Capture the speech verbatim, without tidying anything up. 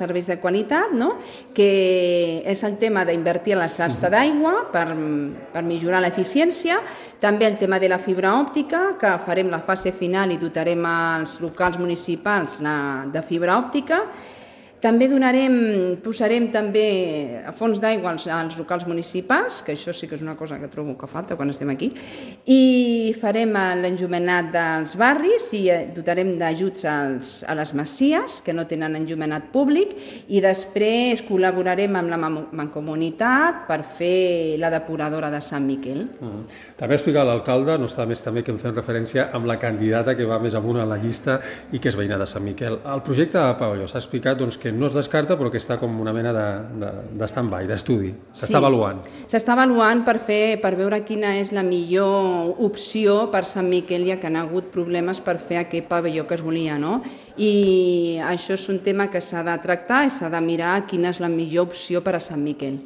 serveis de qualitat, no? Que és el tema d'invertir en la xarxa d'aigua per, per millorar l'eficiència, també el tema de la fibra òptica, que farem la fase final i dotarem als locals municipals de fibra òptica. També donarem, posarem també a fons d'aigua als, als locals municipals, que això sí que és una cosa que trobo que falta quan estem aquí, i farem l'enllumenat dels barris i dotarem d'ajuts a les masies que no tenen enllumenat públic i després col·laborarem amb la Mancomunitat per fer la depuradora de Sant Miquel. Mm. També explicar l'alcalde, no està més també que em fem referència amb la candidata que va més amunt a la llista i que és veïna de Sant Miquel. El projecte de pavelló s'ha explicat doncs, que no es descarta però que està com una mena de, de, de stand-by, d'estudi. S'està sí, avaluant. S'està avaluant per, fer, per veure quina és la millor opció per Sant Miquel, ja que han hagut problemes per fer aquest pavelló que es volia, no? I això és un tema que s'ha de tractar i s'ha de mirar quina és la millor opció per a Sant Miquel.